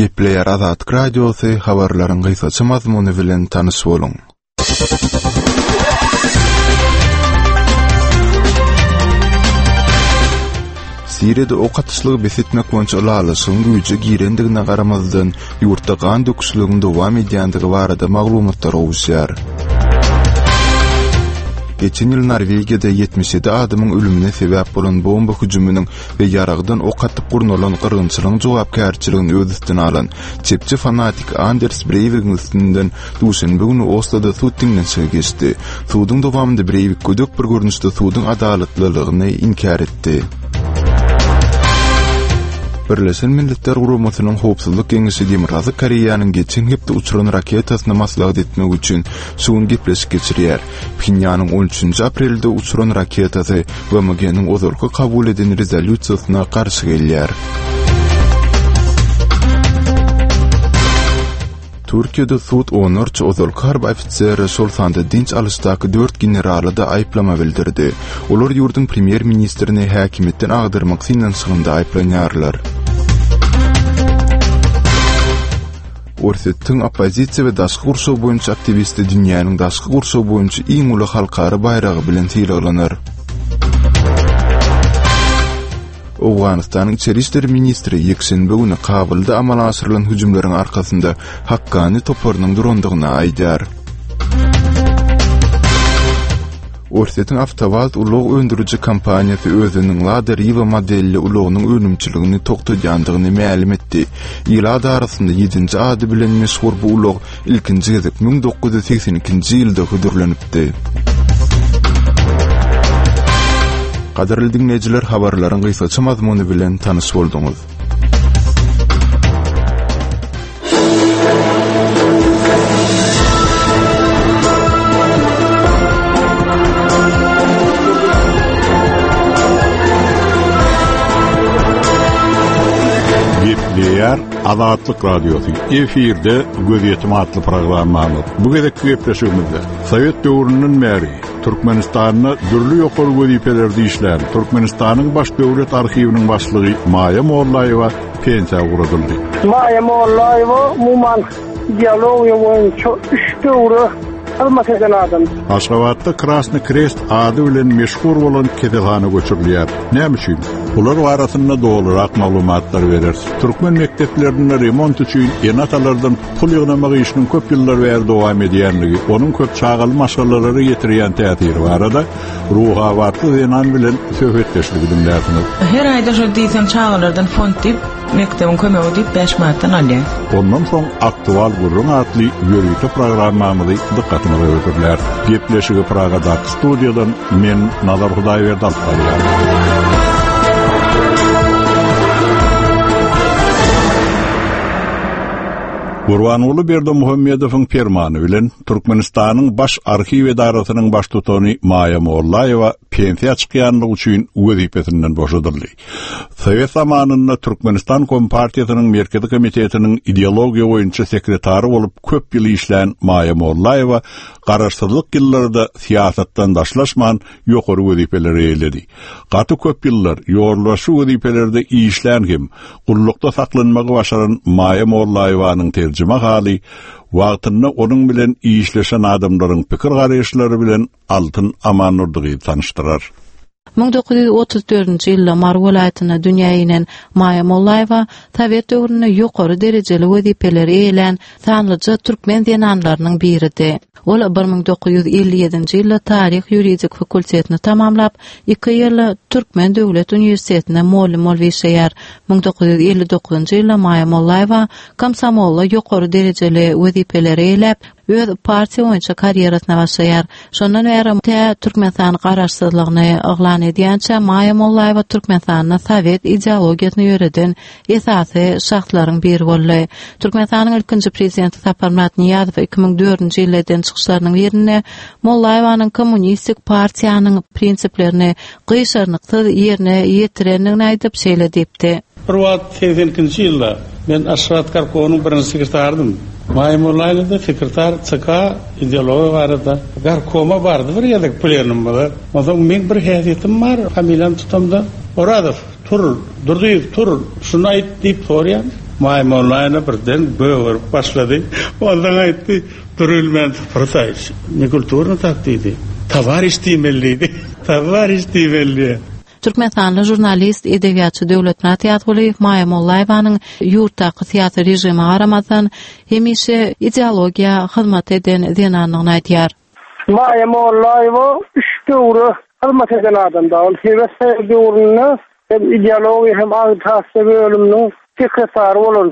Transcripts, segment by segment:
Gepleýär Azatlyk Radiosy, habarlaryň gysgaça mazmuny bilen tanyş boluň. Siriýada ok atyşlygy bes etmek boýunça ylalaşygyň güýje girendigine garamazdan, ýurtda gan döküşligiň dowam edýändigi barada maglumatlar gowuşýar. Geçen ýyl Norwegiýada 77 adamyň ölümine sebäp bolan bomba hüjüminiň we ýaragdan ok atyp gurnalan gyrgynçylygyň jogapkärçiligini öz üstüne alan çepçi fanatik Anders Breýwigiň üstünden duşenbe güni Osloda sud diňlenişigi geçdi. Suduň dowamynda Breýwik gödek bir görnüşde suduň adalatlylygyny inkär etdi. Birleşen Milletler Guramasynyň Howpsuzlyk Geňeşi Demirgazyk Koreýanyň geçen hepde uçuran raketasyny maslahat etmek üçin şu gün gepleşik geçirýär. Phenýanyň on üçünji aprelde uçuran raketasy BMG-niň ozalky kabul eden rezolýusiýasyna garşy gelýär. Türkiýede sud onlarça ozalky harby ofisere, şol sanda dynç alyşdaky dört generala-da aýyplama bildirdi. Olar ýurduň premýer-ministrini häkimiýetden agdarmak synanyşygynda aýyplanýarlar. Orsýetiň oppozisiýa we daşky gurşaw boýunça aktiwisti dünýäniň daşky gurşaw boýunça iň uly halkara baýragy bilen sylaglanar. Owganystanyň içeri işler ministri ýekşenbe güni Kabulda amala aşyrylan hüjümleriň arkasynda Hakkani toparynyň durandygyny aýdýar. Orsýetiň Awtowaz ulag öndüriji kompaniýasy özüniň Lada Riva modelli ulagynyň önümçiligini togtadýandygyny mälim etdi. Ilat arasynda ýedinji ady bilen meşhur bu ulag ilkinji gezek 1982-nji ýylda hödürlenipdi. Gadyrly diňleýjiler, habarlaryň gysgaça mazmuny bilen tanyş bolduňyz. Gepleýär Azatlyk Radiosy. Efirde Gözýetim atly programmamyz. Bu gezekki gepleşigimizde Sowet döwründen bäri Türkmenistanda dürli ýokary wezipelerde işlän Türkmenistanyň Baş döwlet arhiwiniň başlygy Maýa Mollaýewa pensiýa ugradyldy. Maýa Mollaýewa umuman ideologiýa boýunça üç döwre hyzmat eden adam. Aşgabatda Krasny Krest ady bilen meşhur bolan keselhana göçürilýär. Näme üçin? Bular barasynda dolurak maglumatlar bereris. Türkmen mekdeplerinde remont üçin ene-atalardan pul ýygnamak işiniň köp ýyllar bäri dowam edýänligi, onuň köp çagaly maşgalalara ýetirýän täsiri barada Ruhabatly zenan bilen söhbetdeşligi diňlärsiňiz. Her aýda şol diýseň çagalardan fond diýip, mekdebiň kömegi diýip 5 manatdan alýar. Ondan soň Aktual gürrüň atly ýörite programmamyzy dykgatyňyza hödürläris. Gepleşigi Pragadaky studiýadan men Nazar Hudaýberdi alyp barýan. Gurbanguly Berdimuhamedowyň permany bilen Türkmenistanyň Baş arhiw edarasynyň baştutany Maýa Mollaýewa pensiýa çykýanlygy üçin wezipesinden boşadyldy. Sowet zamanynda Türkmenistan Kompartiýasynyň Merkezi komitetiniň ideologiýa boýunça sekretary bolup köp ýyl işlän Maýa Mollaýewa garaşsyzlyk ýyllarda syýasatdan daşlaşman ýokary wezipeleri eýeledi. Gaty köp ýyllar ýolbaşçy wezipelerde işlän hem gullukda saklanmagy başaran Maýa Mollaýewanyň terjimehaly wagtynda onuň bilen işleşen adamlaryň pikir-garaýyşlary bilen Altyn Amandurdy gyzy tanyşdyrar. 1934-nji ýylda Mary welaýatynda dünýä inen Maýa Mollaýewa sowet döwründe ýokary derejeli wezipeleri eýelän sanlyja türkmen zenanlarynyň biridi. Ol 1957-nji ýylda taryh-ýuridik fakultetini tamamlap, iki ýyl Türkmen döwlet uniwersitetinde mugallym bolup işleýär. 1959-njy ýylda Maýa Mollaýewa komsomolda ýokary derejeli wezipeleri eýeläp, öz partiýa boýunça karýerasyna başlaýar. Şondan bäri tä Türkmenistan garaşsyzlygyny yglan edýänçä Maýa Mollaýewa Türkmenistanda sowet ideologiýasyny ýöreden esasy şahslaryň biri boldy. Türkmenistanyň ilkinji prezidenti Saparmyrat Nyýazow 2004-nji ýylda eden çykyşlarynyň birinde Mollaýewanyň kommunistik partiýanyň prinsiplerini gyşarnyksyz ýerine ýetirendigini aýdyp, şeýle diýipdi. Bir wagt 82-nji ýylda men Aşgabat gorkomynyň birinji sekretarydym. Maýa Mollaýewa-da sekretar ÇK ideologiýa barada gorkoma bardy bir gezek plenumymyza. Onsoň meň bir häsiýetim bar, familiýamy tutamda, Orazow, tur, Durdyýew, tur, şuny aýt diýip soraýan. Maýa Mollaýewna birden gögerip başlady. Onsoň aýtdy, Durubilmän Sapar nekulturno tak diýdi. Towariş diýmeli diýdi. Towariş diýmeli diýýär. Türkmenistanly žurnalist, edebiýatçy Döwletmyrat Ýazgulyýew Maýa Mollaýewanyň ýurtdaky syýasy režime garamazdan, hemişe ideologiýa hyzmat eden zenandygyny aýdýar. Maýa Mollaýewa üç döwre hyzmat eden adam da. Ol Sowet Soýuzy döwründe hem ideologiýa hem agitasiýa bölüminiň sekretary bolan.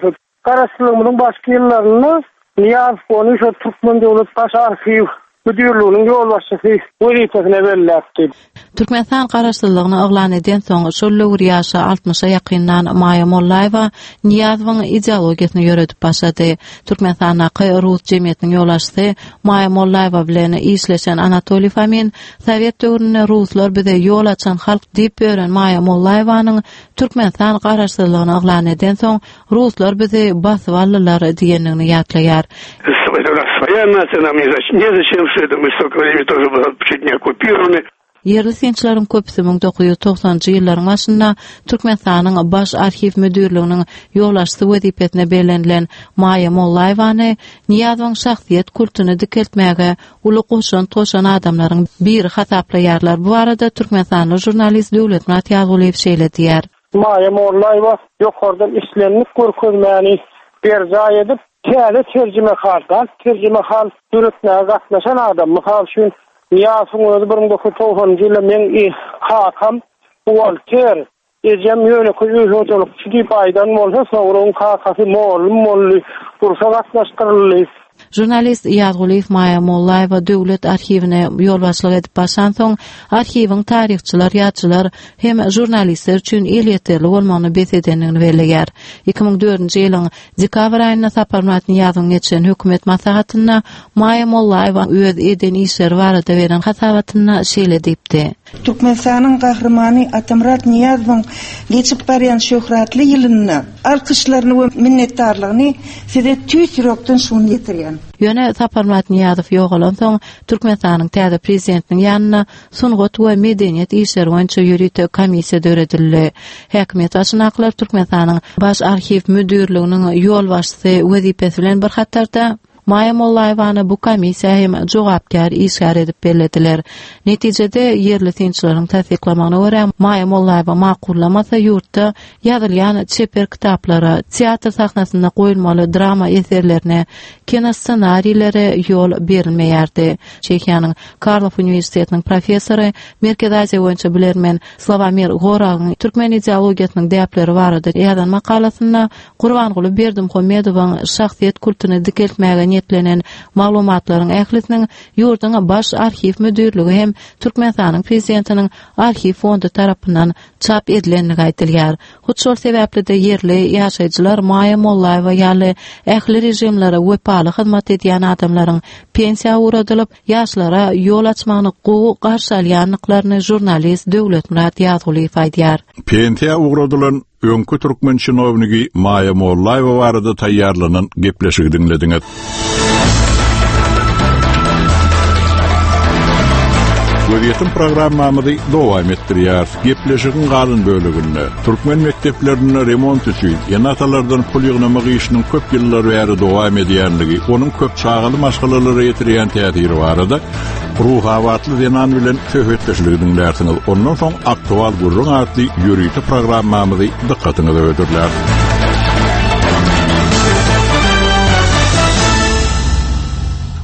Garaşsyzlygymyzyň başky ýyllarynda Nyýazow ony şol Türkmen döwlet baş arhiw müdirliginiň ýolbaşçysy wezipesine belläpdi. Türkmenistan garaşsyzlygyny yglan edensoň, şol döwür ýaşy altmyşa ýakynlan Maýa Mollaýewa Nyýazowyň ideologiýasyny ýöredip başlady. Türkmenistandaky rus jemgyýetiniň ýolbaşçysy Maýa Mollaýewa bilen işleşen Anatoliý Fomin Sowet döwründe ruslar bize ýol açan halk diýip ýören Maýa Mollaýewanyň Türkmenistan garaşsyzlygyny yglan edensoň, Ruslar bizi basyp aldylar diýendigini ýatlaýar. Ýerli synçylaryň köpüsi 1990-njy ýyllaryň başynda Türkmenistanyň Baş arhiw müdirliginiň ýolbaşçysy wezipesine bellenilen Maýa Mollaýewany Nyýazowyň şahsyýet kultuny dikeltmäge uly goşant goşan adamlaryň biri hasaplaýarlar. Bu barada türkmenistanly žurnalist Döwletmyrat Ýazgulyýew şeýle diýýär. Maýa Mollaýewa ýokardan islendik görkezmäni berjaý edip, täze terjimehal, galp terjimehal döretmäge gatnaşan adam. Mysal üçin, Nyýazowyň özi 1990-njy ýylda meň kakam buhgalter, ejem ýönekeý öý hojalykçy diýip aýdan bolsa, soňra oň kakasy mollum boldy, urşa gatnaşdyryldy. Žurnalist Ýazgulyýew Maýa Mollaýewa döwlet arhiwine ýolbaşçylyk edip başlansoň, arhiwiň taryhçylar, ýazyjylar hem žurnalistler üçin elýeterli bolmagyny bes edendigini belleýär. 2004-nji ýylyň dekabr aýynda Saparmyrat Nyýazowyň geçiren hökümet maslahatynda Maýa Mollaýewa öz eden işleri barada beren hasabatynda şeýle diýipdi. Türkmenistanyň Gahrymany Atamyrat Nyýazowyň geçip barýan şöhratly ýylynda alkyşlaryny we minnetdarlygyny Size tüýs ýürekden şuny ýetirýän. Ýöne Saparmyrat Nyýazow ýogalansoň, Türkmenistanyň täze prezidentiniň ýanynda sungat we medeniýet işleri boýunça ýörite komissiýa döredildi. Häkimiýet başyndakylar Türkmenistanyň Baş arhiw müdirliginiň ýolbaşçysy wezipesi bilen bir hatarda, Maýa Mollaýewany bu komissiýa hem jogapkär işgär edip bellediler. Netijede, ýerli synçylaryň tassyklamagyna görä, Maýa Mollaýewa makullamasa, ýurtda ýazylýan çeper kitaplara, teatr sahnasynda goýulmaly drama eserlerine, kinossenarilere ýol berilmeýärdi. Çehiýanyň Karlow uniwersitetiniň professory, Merkezi Aziýa boýunça bilermen Slawomir Goragyň türkmen ideologiýasynyň däpleri barada ýazan makalasynda Gurbanguly Berdimuhamedowyň şahsyýet kultuny dikeltmäge niýetlenen maglumatlaryň ählisiniň ýurduň Baş arhiw müdirligi hem Türkmenistanyň Prezidentiniň arhiw fondy tarapyndan çap edilendigi aýdylýar. Hut şol sebäpli-de ýerli ýaşaýjylar Maýa Mollaýewa ýaly ähli režimlere wepaly hyzmat edýän adamlaryň pensiýa ugradylyp, ýaşlara ýol açmagyny gowy garşy alýandyklaryny žurnalist Döwletmyrat Ýazgulyýew aýdýar. Pensiýa ugradylan Öňki türkmen çinownigi Maýa Mollaýewa barada taýýarlanan gepleşigi diňlediňiz. Gözýetim programmamyzy dowam etdirýäris. Gepleşigiň galan böleginde türkmen mekdeplerinde remont üçin ene-atalardan pul ýygnamak işiniň köp ýyllar bäri dowam edýänligi, onuň köp çagaly maşgalalara ýetirýän täsiri barada Ruhabatly zenan bilen söhbetdeşligi diňlärsiňiz. Ondan soň Aktual gürrüň atly ýörite programmamyzy dykgatyňyza hödürläris.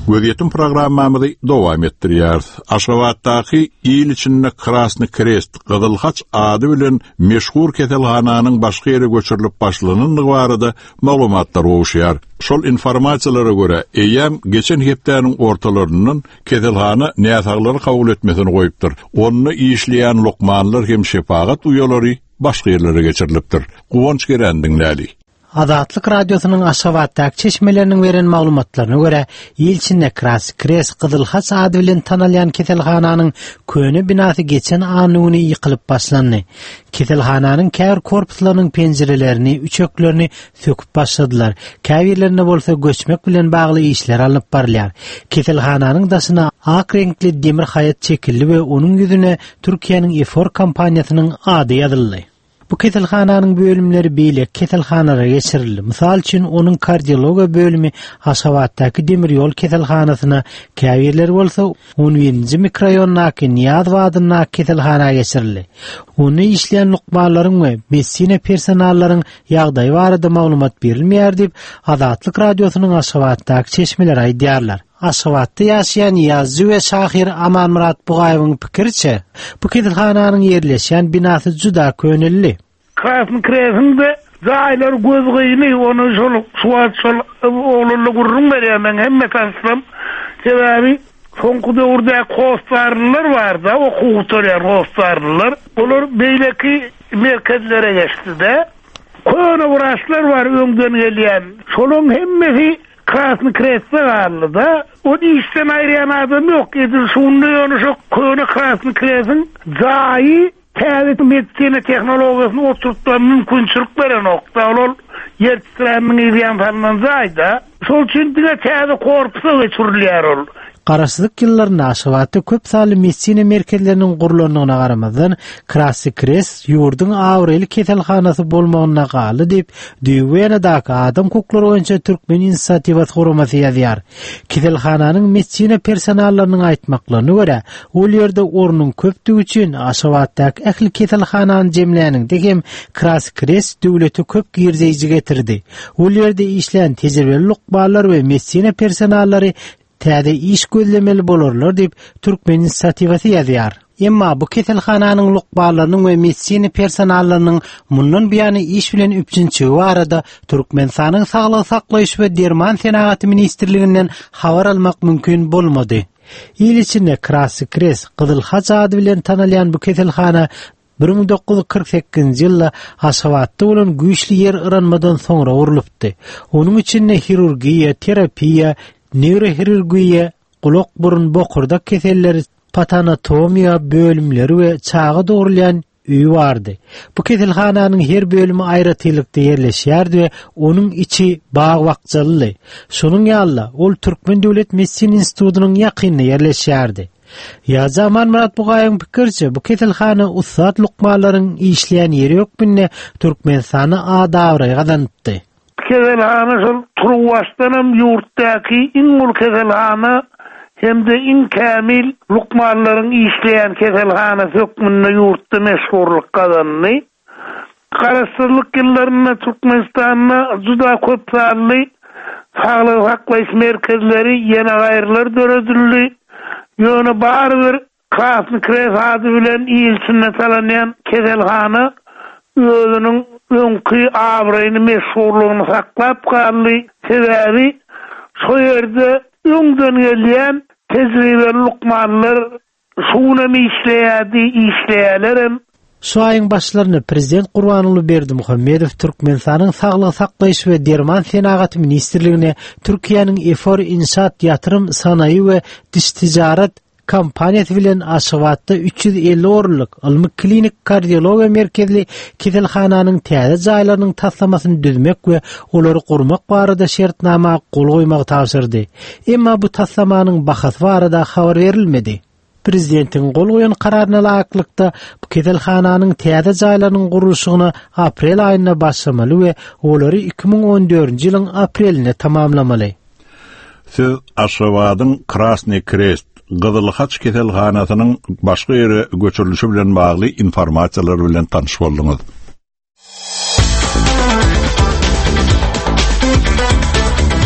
Gözýetim programmamyzy dowam etdirýäris. Aşgabatdaky il içinde Krasny Krest, Gyzyl Haç ady bilen meşhur keselhananyň başga ýere göçürilip başlanandygy barada maglumatlar gowuşýar. Şol informasiýalara görä, eýýäm geçen hepdäniň ortalaryndan keselhana näsaglary kabul etmesini goýupdyr. Onda işleýän lukmanlar hem şepagat uýalary başga ýerlere geçirilipdir. Guwanç Gerän diňläli. Azatlyk Radiosynyň Aşgabatdaky çeşmeleriniň beren maglumatlaryna görä, il içinde Krasny Krest, Gyzyl Haç ady bilen tanalýan keselhananyň köne binasy geçen anna güni ýykylyp başlandy. Keselhananyň käbir korpuslarynyň penjirelerini, üçeklerini söküp başladylar. Käbirlerinde bolsa göçmek bilen bagly işler alnyp barylýar. Keselhananyň daşyna ak reňkli demir haýat çekildi we onuň ýüzüne Türkiýäniň Efor kompaniýasynyň ady ýazyldy. Bu keselhananyň bölümleri beýleki keselhanalara geçirildi. Mysal üçin, onuň kardiologiýa bölümi Aşgabatdaky demir ýol keselhanasyna, käbirleri bolsa on birinji mikroraýondaky Nyýazow adyndaky keselhana geçirildi. Onda işleýän lukmanlaryň we medisina personallaryň ýagdaýy barada maglumat berilmeýär diýip, Azatlyk Radiosynyň Aşgabatdaky çeşmeleri aýdýarlar. Aşgabatda ýaşaýan ýazyjy we şahyr Amanmyrat Bugaýewiň pikiriçe, bu keselhananyň ýerleşýän binasy juda köneldi. Krasnyý Kresiň-de jaýlary gözgyny, ony şol şu wagt şol oglanlar gürrüň berýär meň hemme tanyşlarym. Sebäbi soňky döwürdäki hossarlylar bar-da, okuw gutarýan hossarlylar. Olar beýleki merkezlere geçdi-de. Köne wraçlar bar öňden gelýän. Şolaryň hemmesi Krasnyý Krestde galdy-da. Ony işden aýyrýan adam ýok. Edil şunda ýöne şo köne Krasnyý Kresiň jaýy Täze medisina tehnologiýasyny oturtmaga mümkinçilik berenok-da, ol ol ýer titräminiň yz ýany salnan jaý-da. Şol üçin diňe täze korpusa geçirilýär ol. Garaşsyzlyk ýyllarynda Aşgabatda köp sanly medisina merkezleriniň gurlandygyna garamazdan, Krasnyý Krest ýurduň abraýly keselhanasy bolmagynda galdy diýip, Düýbi Wenadaky adam hukuklary boýunça Türkmen inisiatiwasy guramasy ýazýar. Keselhananyň medisina personallarynyň aýtmaklaryna görä, ol ýerde ornuň köpdügi üçin Aşgabatdaky ähli keselhanany jemläniňde hem Krasny Krest döwlete köp girdeýji getirdi. Ol ýerde işlän tejribeli lukmanlar we medisina personallary täze iş gözlemeli bolarlar diýip, Türkmen inisiatiwasy ýazýar. Emma bu keselhananyň lukmanlarynyň we medisina personallarynyň mundan buýana iş bilen üpjünçigi barada Türkmenistanyň Saglygy saklaýyş we derman senagaty ministrliginden habar almak mümkin bolmady. Il içinde Krasny Krest, Gyzyl Haç ady bilen tanalýan bu keselhana 1948-nji ýylda Aşgabatda bolan güýçli ýer yranmadan soňra gurlupdy. Onuň içinde hirurgiýa, terapiýa, neýrohirurgiýa, gulak-burun, bokurdak keselleri, patanatomiýa bölümleri we çaga dogrulýan öýi bardy. Bu keselhananyň her bölümi aýratynlykda ýerleşýärdi we onuň içi bag-bakjalydy. Şonuň ýaly-da, ol Türkmen döwlet medisina institutynyň ýakynynda ýerleşýärdi. Ýazyjy Amanmyrat Bugaýyň pikiriçe, bu keselhana ussat lukmanlaryň işleýän ýeri hökmünde Türkmenistanda at-abraý gazanypdy. Keselhana şol turuwbaşdanam ýurtdaky iň uly keselhana hem-de iň kämil lukmanlaryň işleýän keselhanasy hökmünde ýurtda meşhurlyk gazandy. Garaşsyzlyk ýyllarynda Türkmenistanda juda köp sanly saglygy saklaýyş merkezleri, ýene gaýrylar döredildi. Ýöne barybir Krasnyý Krest ady bilen il içinde talanýan keselhana özüniň öňki abraýyny, meşhurlygyny saklap galdy. Sebäbi şo ýerde öňden gelýän tejribeli lukmanlar şu günem işleýärdi, işleýärlerem. Şu aýyň başlarynda prezident Gurbanguly Berdimuhamedow Türkmenistanyň Saglygy saklaýyş we derman senagaty ministrligine Türkiýäniň Efor Inşaat ýatyrym sanaýy we diş tijaret kompaniýasy bilen Aşgabatda 350 orunlyk ylmy-klinik kardiologiýa merkezli keselhananyň täze jaýlarynyň taslamasyny düzmek we olary gurmak barada şertnama gol goýmagy tabşyrdy. Emma bu taslamanyň bahasy barada habar berilmedi. Prezidentiň gol goýan kararyna laýyklykda, bu keselhananyň täze jaýlarynyň gurluşygyna aprel aýynda başlamaly we olary 2014-nji ýylyň aprelinde tamamlamaly. Siz Aşgabadyň Krasnyý Krest, Gyzyl Haç keselhanasynyň başga ýere göçürilişi bilen bagly informasiýalar bilen tanyş bolduňyz.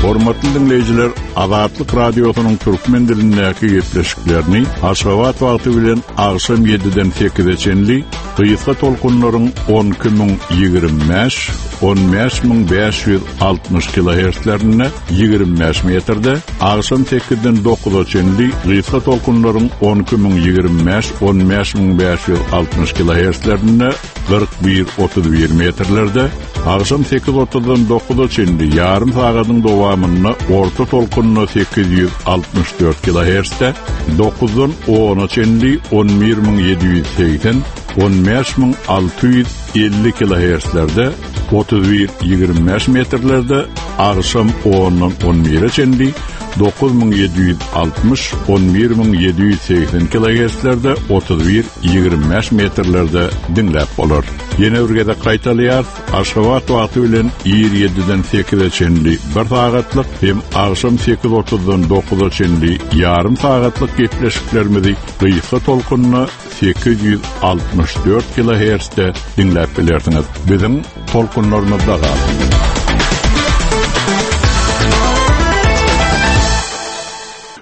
Hormatly diňleýjiler, Azatlyk Radiosynyň türkmen dilindäki gepleşiklerini Aşgabat wagty bilen agşam 7-den 8-e çenli gysga tolkunlaryň 12025, 15560 kilohertzlerinde 25 metrde, agşam 8-den 9-a çenli gysga tolkunlaryň 12025, 15560 kilohertzlerinde 41, 31 metrlerde, agşam 8.30-dan 9-a çenli ýarym sagadyň dowamynda orta tolkunda 864 kilohertzde, 9-dan 10-a çenli 11780, 15650 kilohertzlerde, 31, 25 metrlerde, agşam 10-dan 11-e çenli. 9760, 11780 kilogertzlerde, 31, 25 metrlerde diňläp bolar. Ýene bir gezek gaýtalaýarys, Aşgabat wagty bilen ir ýediden sekize çenli bir sagatlyk hem agşam sekiz otuzdan dokuza çenli ýarym sagatlyk gepleşiklerimizi gysga tolkunda 864 kilohertzde diňläp bilersiňiz. Biziň tolkunlarymyzda galyň.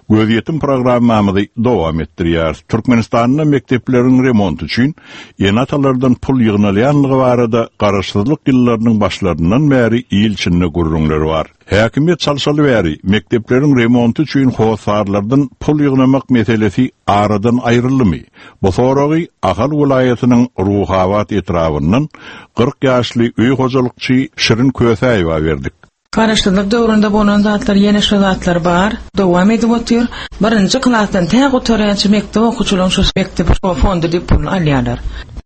Gözýetim programmamyzy dowam etdirýäris. Türkmenistanda mekdepleriň remonty üçin ene-atalardan pul ýygnalýanlygy barada garaşsyzlyk ýyllarynyň başlaryndan bäri il içinde gürrüňler bar. Häkimiýet çalşaly bäri mekdepleriň remonty üçin hossarlardan pul ýygnamak meselesi aradan aýryldymy? Bu soragy Ahal welaýatynyň Ruhabat etrabyndan 40 ýaşly öý hojalykçy Şirin Kösäýewa berdik. Garaşsyzlyk döwründe bolan zatlar ýene şo zatlar bar, dowam edip otyr. Birinji klasdan tä gutarýança mekdep okuwçylaryň şo mekdep fondy diýip puluny alýarlar.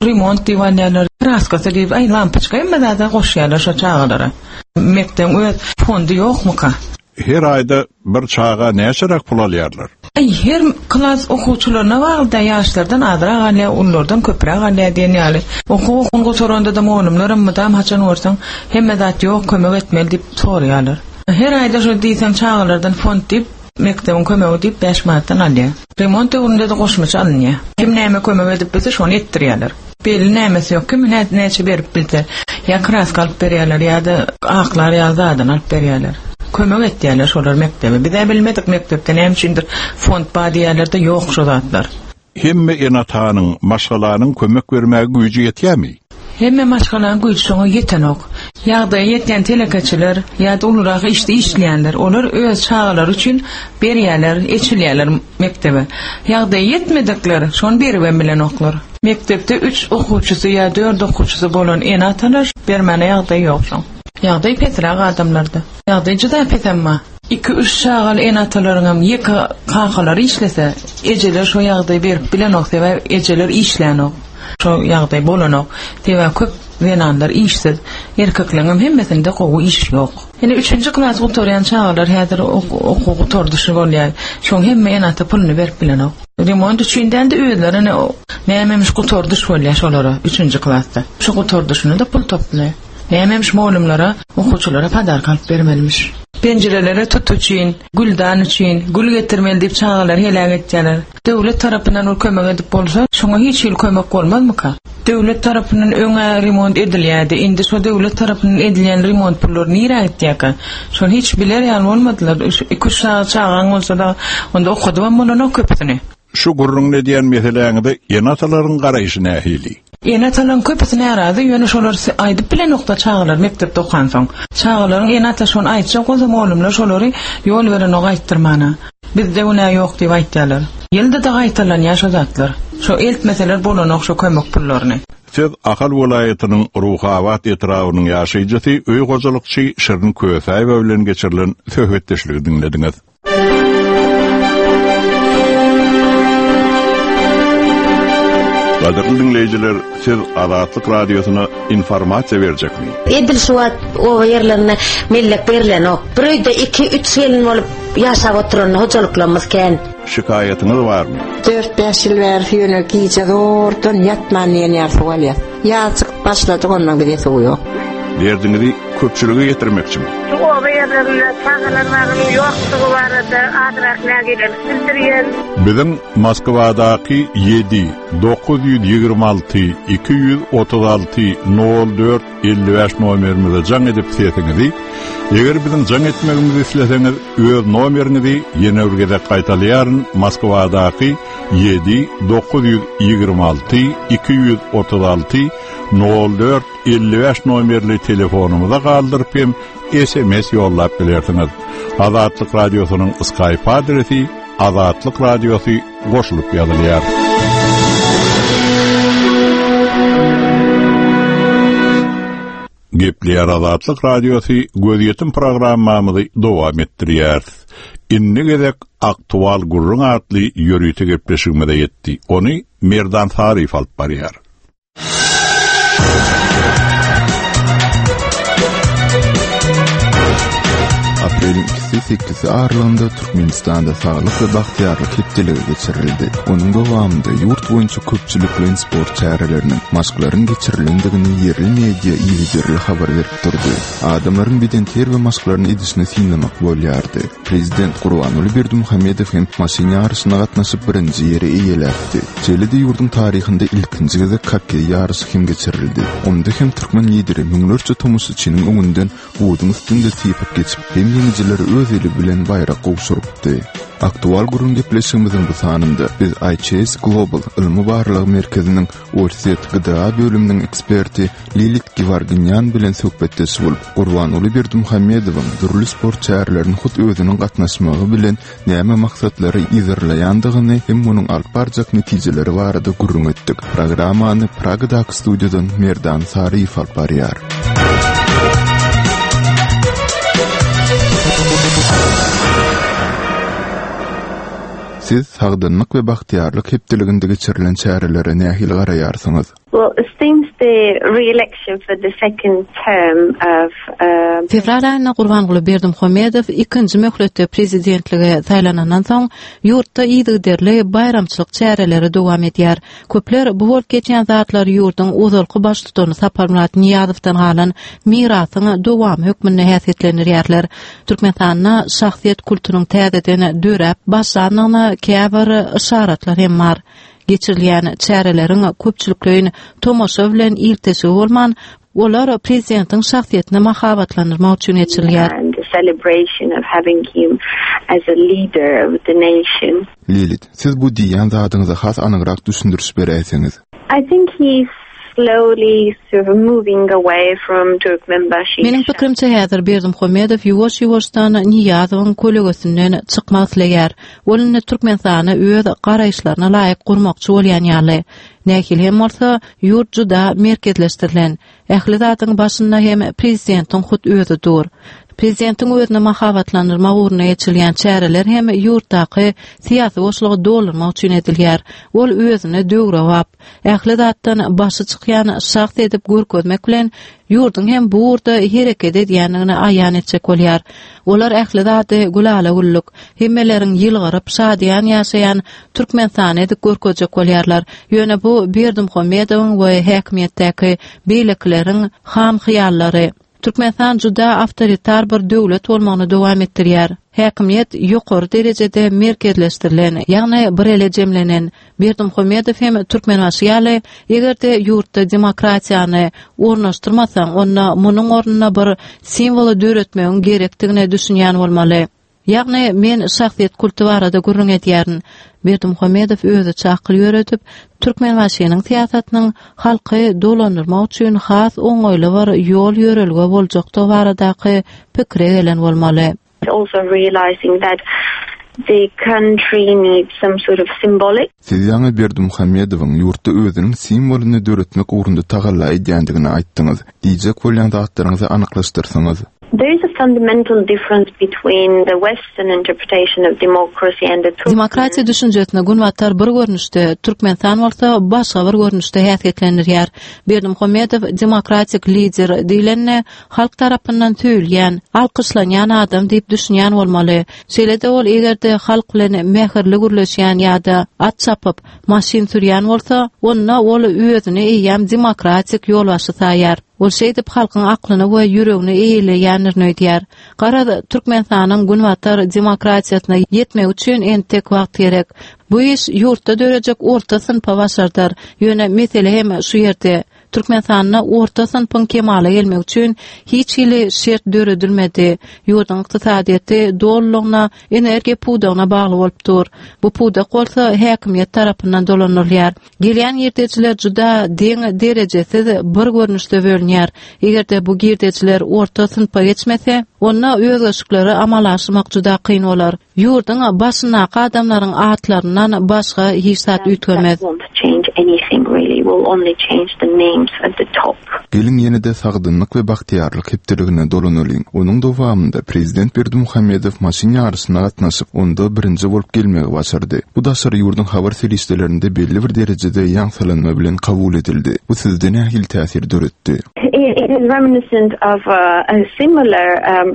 Remont diýip alýarlar, kraskasy diýip, aý lampoçka hemme zada goşýarlar şo çagalara. Mekdebiň öz fondy ýokmuka? Her aýda bir çaga näçeräk pul alýarlar? Aý, her klas okuwçylaryna bagly-da, ýaşlardan azrak alýar, ululardan köpräk alýar diýen ýaly. Okuw okuny gutaranda-da mugallymlaram mydam haçan görseň, hemme zat ýok, kömek etmeli diýip soraýarlar. Her aýda şo diýseň çagalardan fond diýip, mekdebiň kömegi diýip bäş manatdan alýar. Remont döwründe-de goşmaça alynýar. Kim näme kömek edip bilse şony etdirýärler. Belli nämesi ýok, kim näçe berip bilse, ýa kraska alyp berýärler, ýa-da aklar ýaly zadyny alyp berýärler. Kömek etýärler şolar mekdebe. Biz-ä bilmedik mekdepde näme üçindir fond bar diýýärler-de, ýok şo zatlar. Hemme ene-atanyň, maşgalanyň kömek bermäge güýji ýetýärmi? Hemme maşgalanyň güýji şoňa ýetenok. Ýagdaýy ýetýän telekeçiler ýa-da ulurak işde işleýänler, olar öz çagalary üçin berýärler, eçilýärler mekdebe. Ýagdaýy ýetmedikler şony beribem bilenoklar. Mekdepde üç okuwçysy ýa dört okuwçysy bolan ene-atalar bermäne ýagdaýy ýok şoň. Ýagdaý pesräk adamlarda. Ýagdaý juda pes emma. Iki-üç çagaly ene-atalaryňam ýeke kakalary işlese, ejeler şo ýagdaýy berip bilenok, sebäbi ejeler işlänok. Şo ýagdaý bolanok. Sebäbi köp zenanlar işsiz. Erkekleňem hemmesinde gowy iş ýok. Ine üçünji klas gutarýan çagalar häzir okuw gutardyşy bolýar. Şoň hemme ene-ata puluny berip bilenok. Remont üçin däl-de özlerine nämemiş gutardyş bolýar şolara üçünji klasda. Şo gutardyşyna-da pul toplaýar. Nämemiş mugallymlara, okuwçylara podarka alyp bermelimiş. Penjirelere tut üçin, güldan üçin, gül getirmeli diýip çagalary heläk etýärler. Döwlet tarapyndan bir kömek edip bolsa, şoňa hiç hili kömek bolmazmyka? Döwlet tarapyndan öň-ä remont edilýärdi, indi şo döwlet tarapyndan edilýän remont pullary nirä gitýärkä? Şony hiç biler ýaly bolmadylar. Iki-üç sany çagaň bolsa-da, onda okadybam bolanok köpüsini. Şu gürrüňini edýän meseläňize ene-atalaryň garaýşy nähili? Ene-atalaryň köpüsi närazy, ýöne şolar aýdyp bilenokda çagalar mekdepde okansoň. Çagalaryň ene-ata şony aýtjak bolsa mugallymlar şolary ýol berenok aýtdyrmana. Bizde günä ýok diýip aýtýarlar. Ýylda-da gaýtalanýar şo zatlar. Şo eltmeseler bolanok şo kömek pullaryny. Söz Ahal welaýatynyň Ruhabat etrabynyň ýaşaýjysy, öý hojalykçy Şirin Kösäýewa bilen geçirilen söhbetdeşligi diňlediňiz. Gadyrly diňleýjiler, siz Azatlyk Radiosyna informasiýa berjekmi? Edil şu wagt oba ýerlerinde mellek berlenok. Bir öýde iki, üç gelin bolup ýaşap oturan hojalyklarymyz kän. Şikaýatyňyz barmy? Dört-bäş ýyl bäri ýöne gije zordan ýatman diýen ýaly suw alýas. Ýaz çykyp başlady ondan bize suw ýok. Derdiňizi köpçülige ýetirmekçimi? Şu oba ýerlerinde çagalar bagynyň ýokdugy barada azrak nägilelik bildirýän. Biziň Moskwadaky ýedi, 926 236 04 55 nomerimize jaň edip sesiňizi, eger biziň jaň etmegimizi isleseňiz, öz nomeriňizi ýene bir gezek gaýtalaýaryn, Moskwadaky 7 926 236 04 55 nomerli telefonymyza galdyryp hem SMS ýollap bilersiňiz. Azatlyk Radiosynyň Skype adresi Azatlyk Radiosy goşulyp ýazylýar. Gepleýär Azatlyk Radiosy gözýetim programmamyzy dowam etdirýäris. Indi gezek Aktual gürrüň atly ýörite gepleşigimize ýetdi. Ony Merdan Saryýew alyp barýar. Apreliň ikisi sekizisi aralygynda Türkmenistanda Saglyk we bagtyýarlyk hepdeligi geçirildi. Onuň dowamynda ýurt boýunça köpçülikleýin sport çäreleriniň, maşklaryň geçirilendigini ýerli media yzygiderli habar berip durdy. Adamlaryň bedenterbiýe maşklaryny edişini synlamak bolýardy. Prezident Gurbanguly Berdimuhamedow hem maşyn ýaryşyna gatnaşyp birinji ýeri eýeläpdi. Şeýle-de ýurduň taryhynda ilkinji gezek hokkeý ýaryşy hem geçirildi. Onda hem türkmen lideri müňlerçe tomaşaçynyň öňünden buzuň üstünde typyp geçip, hem ýeňijilere öz eli bilen baýrak gowşurypdy. Aktual gürrüň gepleşigimiziň bu sanynda biz ICS Global ylmy-barlag merkeziniň Orsýet GDA bölüminiň eksperti Lilit Giwarginýan bilen söhbetdeş bolup, Gurbanguly Berdimuhamedowyň dürli sport çärelerine hut özüniň gatnaşmagy bilen näme maksatlary yzarlaýandygyny hem munuň alyp barjak netijeleri barada gürrüň etdik. Programmany Pragadaky studiýadan Merdan Saryýew alyp barýar. Siz Sagdynlyk we bagtyýarlyk hepdeliginde geçirilen çärelere nähili garaýarsyňyz? Well, since the re-election for the second term of Fewral aýynda Gurbanguly Berdimuhamedow ikinji möhletde prezidentlige saýlanandan soň, ýurtda yzygiderli baýramçylyk çäreleri dowam edýär. Köpler bu bolup geçýän zatlar ýurduň ozalky baştutany Saparmyrat Nyýazowdan galan mirasyň dowamy hökmünde häsiýetlendirýärler. Türkmenistanda şahsyýet kultunyň täzeden döräp başlandygyna käbir yşaratlar hem bar. Geçirilýän çäreleriň köpçülikleýin tomaşa bilen ilteşigi bolman, olar prezidentiň şahsyýetini mahabatlandyrmak üçin geçirilýär. Lilit, siz bu diýýän zadyňyza has anygrak düşündiriş beräýseňiz. I think he slowly sort of moving away from Turkmenbaşy. Meniň pikirimçe häzir Berdimuhamedow ýuwaş-ýuwaşdan Nyýazowyň kölegesinden çykmak isleýär. Ol indi Türkmenistany öz garaýyşlaryna laýyk gurmakçy bolýan ýaly. Nähili hem bolsa, ýurt juda merkezleşdirilen. Ähli zadyň başynda hem prezidentiň hut özi dur. Prezidentiň özüni mahabatlandyrmak ugrunda geçirilýän çäreler hem ýurtdaky syýasy boşlugy doldurmak üçin edilýär. Ol özüni döwrebap, ähli zatdan başy çykýan şahs edip görkezmek bilen, ýurduň hem bu ugurda hereket edýändigini aýan etjek bolýar. Olar ähli zady gülala-güllük, hemmeleriň ýylgyryp, şadyýan ýaşaýan Türkmenistany edip görkezjek bolýarlar. Ýöne bu Berdimuhamedowyň we häkimiýetdäki beýlekileriň ham hyýallary. Türkmenistan juda awtoritar bir döwlet bolmagyny dowam etdirýär. Häkimiýet ýokary derejede merkezleşdirilen, ýagny bir ele jemlenen. Berdimuhamedow hem Türkmenbaşy ýaly, eger-de ýurtda demokratiýany ornaşdyrmasaň, onda munuň ornuna bir simwoly döretmegiň gerekdigine düşünýän bolmaly. Ýagny, men şahsyýet kulty barada gürrüň edýärin. Berdimuhamedow özüçe akyl ýöredip, Türkmenbaşynyň syýasatynyň halky dolandyrmak üçin has oňaýly bir ýol-ýörelge boljakdygy baradaky pikire gelen bolmaly. Also realizing that the country needs some sort of symbolic. Siz ýaňy Berdimuhamedowyň ýurtda özüniň simwolyny döretmek ugrunda tagalla edýändigini aýtdyňyz. Diýjek bolýan zatlaryňyzy anyklaşdyrsaňyz. There is a fundamental difference between the western interpretation of democracy and the Turkmen. Demokratiýa düşünjesini Günbatar bir görnüşde, Türkmenistan bolsa başga bir görnüşde häsiýetlendirýär. Berdimuhamedow demokratik lider diýlende, halk tarapyndan söýülýän, alkyşlanýan adam diýip düşünýän bolmaly. Şeýle-de ol eger-de halk bilen mähirli gürleşýän ýa-da at çapyp, maşyn sürýän bolsa, onda ol özüni eýýäm demokratik ýolbaşçy saýar. Ol şeýdip halkyň aklyny we ýüregini eýeleýändirin öýdýär. Garaz, Türkmenistanyň günbatar demokratiýasyna ýetmegi üçin entek wagt gerek. Bu iş ýurtda dörejek orta synpa başardar. Ýöne mesele hem şu ýerde. Türkmenistanda orta synpyň kemala gelmegi üçin hiç hili şert döredilmedi. Ýurduň ykdysadyýeti dolulygyna energiýa pudagyna bagly bolup dur. Bu pudak bolsa häkimiýet tarapyndan dolandyrylýar. Gelýän girdejiler juda deň derejesiz bir görnüşde bölünýär. Eger-de bu girdejiler orta synpa geçmese, onda özgerişlikleri amala aşyrmak juda kyn bolar. Ýurduň başyndaky adamlaryň atlaryndan başga hiç zat üýtgemez. will only change the names at the top. Geliň ýene-de Sagdynlyk we bagtyýarlyk hepdeligine dolanalyň. Onuň dowamynda prezident Berdimuhamedow maşyn ýaryşyna gatnaşyp, onda birinji bolup gelmegi başardy. Bu daşary ýurduň habar serişdelerinde belli bir derejede ýaňsylanma bilen kabul edildi. Bu sizde nähili täsir döretdi? It is reminiscent of a similar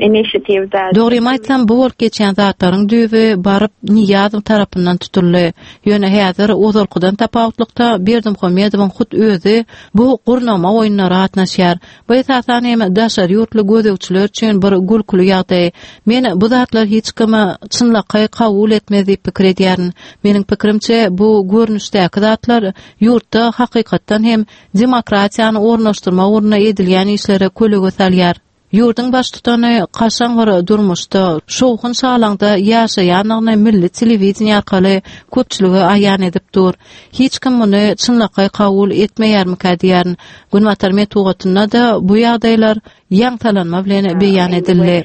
initiative that. Dogrymy aýtsam, bu bolup geçýän zatlaryň düýbi baryp Nyýazow tarapyndan tutuldy. Ýöne häzir ozalkydan tapawutlykda Berdimuhamedowyň hut özi bu gurnama oýunlara gatnaşýar. Bu esasan hem daşary ýurtly gözegçiler üçin bir gülküli ýagdaý. Men bu zatlar hiç kim çynlakaý kabul etmez diýip pikir edýärin. Meniň pikirimçe, bu görnüşdäki zatlar ýurtda hakykatdan hem demokratiýany ornaşdyrmak ugrunda edilýän işlere kölege salýar. Ýurduň baştutany kaşaň bir durmuşda, şowhun-şalaňda ýaşaýandygyny milli telewideniýe arkaly köpçülige aýan edip dur. Hiç kim muny çynlakaý kabul etmeýärmikä diýýärin. Günbatar metbugatynda-da bu ýagdaýlar ýaňtalanma bilen beýan edildi.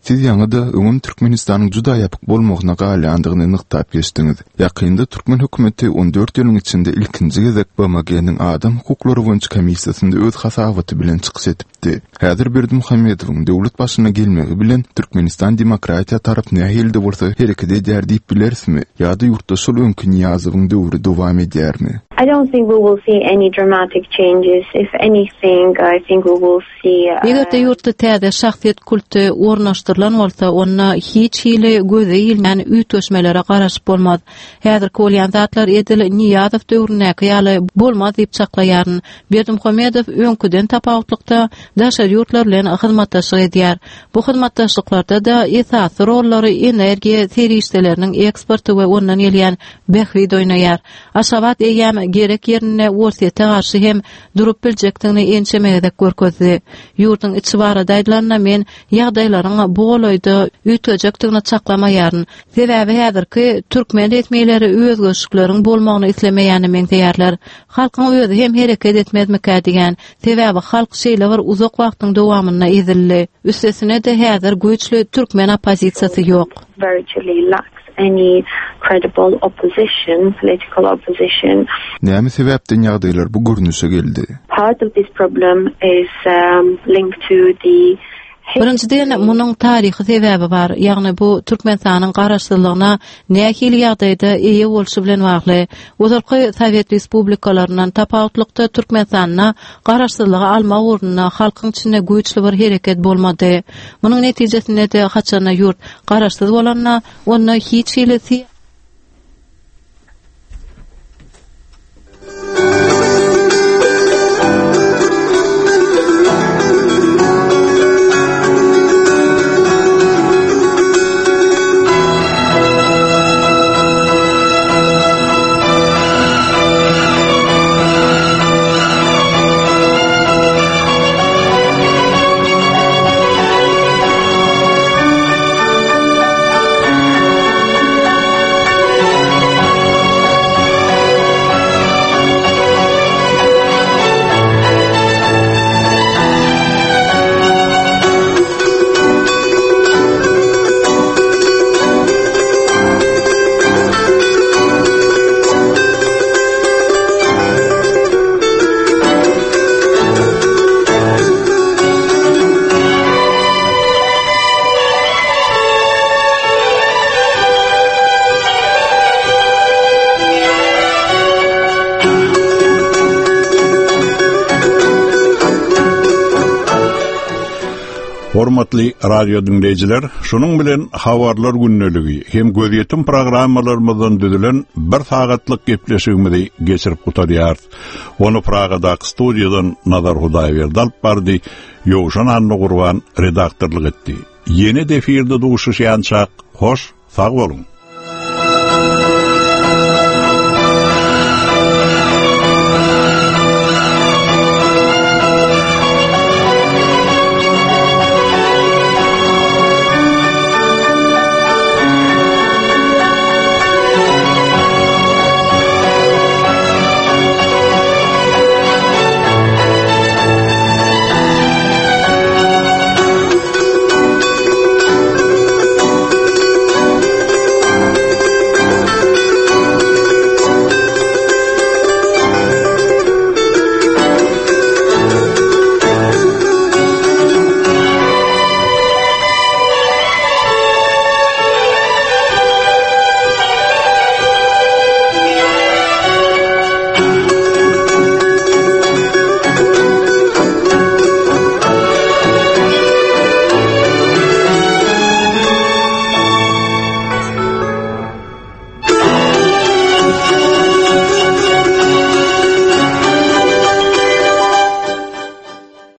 Siz ýaňy-da öňem Türkmenistanyň juda ýapyk bolmagyna galýandygyny nygtap geçdiňiz. Ýakynda türkmen hökümeti 14 ýylyň içinde ilkinji gezek BMG-niň Adam hukuklary boýunça komissiýasynda öz hasabaty bilen çykyş edipdi. Häzir Berdimuhamedowyň döwlet başyna gelmegi bilen Türkmenistan demokratiýa tarap nähili-de bolsa hereket edýär diýip bilerismi? Ýa-da ýurtda şol öňki Nyýazowyň döwri dowam edýärmi? I don't think we will see any dramatic changes. If anything, I think we will Eger-de ýurtda täze şahsyýet kulty ornaşdyrylan bolsa, onda hiç hili göze ilmän üýtgeşmelere garaşyp bolmaz. Häzirki bolýan zatlar edil Nyýazow döwründäki ýaly bolmaz diýip çaklaýaryn. Berdimuhamedow öňküden tapawutlykda daşary ýurtlar bilen hyzmatdaşlyk edýär. Bu hyzmatdaşlyklarda-da esasy rollary energiýa serişdeleriniň eksporty we ondan gelýän bähbit oýnaýar. Aşgabat eýýäm gerek ýerinde Orsýete garşy hem durup biljekdigini ençeme gezek görkezdi. Ýurduň içi barada aýdylanda, men ýagdaýlaryň bu golaýda üýtgejekdigini çaklamaýaryn. Sebäbi häzirki türkmen resmileri özgerişlikleriň bolmagyny islemeýäne meňzeýärler. Halkyň özi hem hereket etmezmikä diýýän. Sebäbi halk şeýle bir uzak wagtyň dowamynda ezildi. Üstesine-de häzir güýçli türkmen oppozisiýasy ýok. any credible opposition, political opposition. Näme sebäpden ýagdaýlar bu görnüşe geldi? Part of this problem is linked to the Birinjiden, munuň taryhy sebäbi bar, ýagny bu Türkmenistanyň garaşsyzlygyna nähili ýagdaýda eýe bolşy bilen bagly. Ozalky sowet respublikalaryndan tapawutlykda Türkmenistanda garaşsyzlygy almak ugrunda halkyň içinde güýçli bir hereket bolmady. Munuň netijesinde-de haçanda ýurt garaşsyz bolanda, onda hiç hili Hormatly radio diňleýjiler, şunuň bilen Habarlar gündeligi hem gözýetim programmalarymyzdan düzülen bir sagatlyk gepleşigimizi geçirip gutarýarys. Ony Pragadaky studiýadan Nazar Hudaýberdi alyp bardy, Ýowşan Annagurban redaktorlyk etdi. Ýene-de efirde duşuşýançak, hoş, sag boluň!